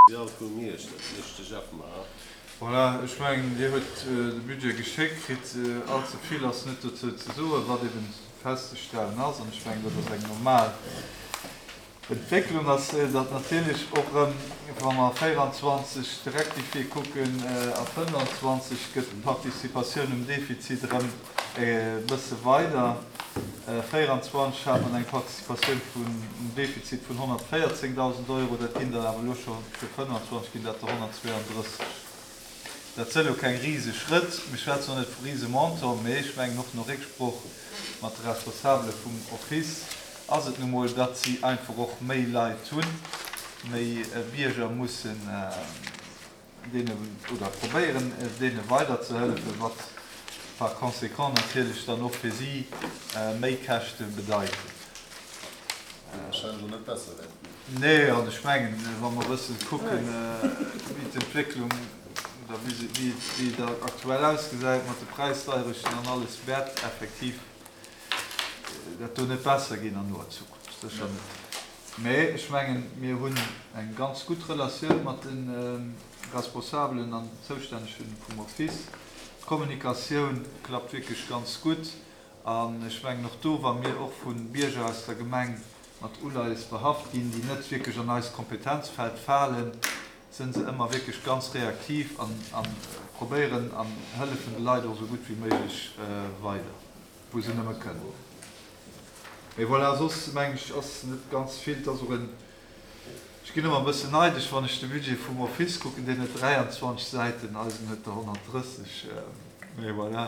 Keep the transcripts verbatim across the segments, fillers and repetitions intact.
Social vu Miersch, dat mécht de Jeff mar. Voilà, ech mengen, Dir hutt de Budget geschéckt kritt. Allze vill ass net dozou ze soen, wat eben festzestellen ass, an ech mengen, dat ass eng normal Entwécklung, ass, datt natierlech och erëm, wa mer véieranzwanzeg de Rectifié kucken a fënnefanzwanzeg, gëtt d'Participatioun um Defizit erëm e bësse weider. Véieranzwanzeg hat mer eng Participatioun vun um Defizit vun honnertvéierzéngdausend Euro, dat ginn der awer elo scho fir fënnefanzwanzeg ginn dat der honnertzweeandrësseg. Dat sënn elo keng riseg Schrëtt, mir schwätzen och net vu rise Montant, mee ech mengen och no Récksproch mat de Responsabele vum Office ass et nu mol, datt si einfach och méi Leit hunn, méi Bierger mussen deene oder probéieren deene weiderzehëllefen, wat par conséquent natierlech dann och fir si méi Käschte bedeiten. Déi warscheinlech och net besser wäerte ginn. Nee, an ech mengen, wa mer e bësse kucken, wéi d'Entwécklung oder wéi et aktuell ausgesäit mat de Präisdeierechten an alles, wäert effektiv dat do net besser ginn an noer Zukunft, sécher net. Mä ech mengen, mir hunn eng ganz gutt Relatioun mat de Responsabelen an Zoustännege vum Office. D'Kommunikatioun klappt wierklech ganz gutt. An ech mengen och do, wa mir och vu Bierger aus der Gemeng mat Uleies behaft ginn, déi net wierklech an eist Kompetenzfeld falen, sinn se ëmmer wierklech ganz reaktiv an probéieren an hëllefen de Leit och esou gutt wéi méiglech weider, wou se nëmme kënnen. Mee voilà, soss mengen ech ass net ganz vill. Et ass och en, ech ginn ëmmer e bëssen neidesch, wann ech de Budget vum Office kucken, deen huet dräianzwanzeg Säiten, eisen huet der honnertdrësseg. Mee voilà,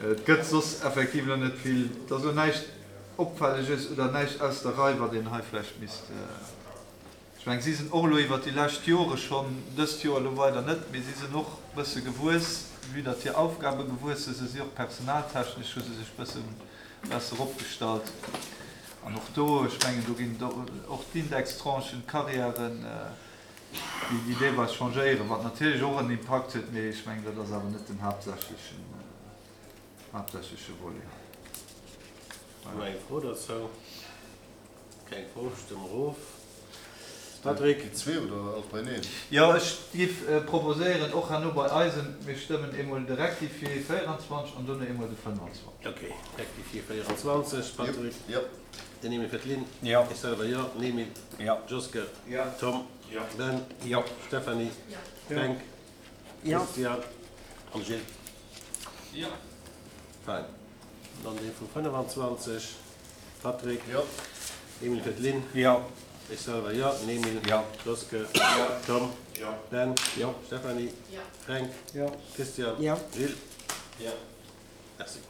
et gëtt soss effektiv elo net vill, et ass elo näischt Opfälleges oder näischt aus der Rei, wat een hei vläicht misst. Ech mengen, si sinn och elo iwwert déi lescht Jore schonn, dëst Joer elo weider net, mee si sinn och e bësse gewuess, vue datt hir Aufgabe gewuess sinn, se si och personaltechnesch hu se sech e bësse besser opgestallt. An och do, ech mengen, do ginn och d'Indextranchen, d'Carrièren, déi déi deelweis changéieren, wat natierlech och en Impakt huet, mee ech mengen, dat ass awer net den haaptsächlechen, haaptsächleche Volet. Hu mer eng Fro dozou? Keng Fro, stëmme mer of. Patrick? Déi zwee oder alles beieneen? Jo, ech géif proposéieren, och herno bei eisem, mir stëmmen eemol de Rectifié véieranzwanzeg an dono eemol de fënnefanzwanzeg. Ok, Rectifié véieranzwanzeg. Patrick? Jo. Den Emil fir d'Lynn? Jo. Ech selwer jo. Den Emil? Jo. Joske? Jo. Tom? Jo. Ben? Jo. Stéphanie? Jo. Fränk? Jo. Christian? An Gilles? Jo. Fein. Dann dee vu fënnefanzwanzeg. Patrick? Jo. Emil fir d'Lynn? Jo. Ech selwer jo. Den Emil? Jo. Joske? Jo. Tom? Jo. Ben? Jo. Stéphanie? Jo. Fränk? Jo. Christian? Jo. Gilles? Jo. Merci.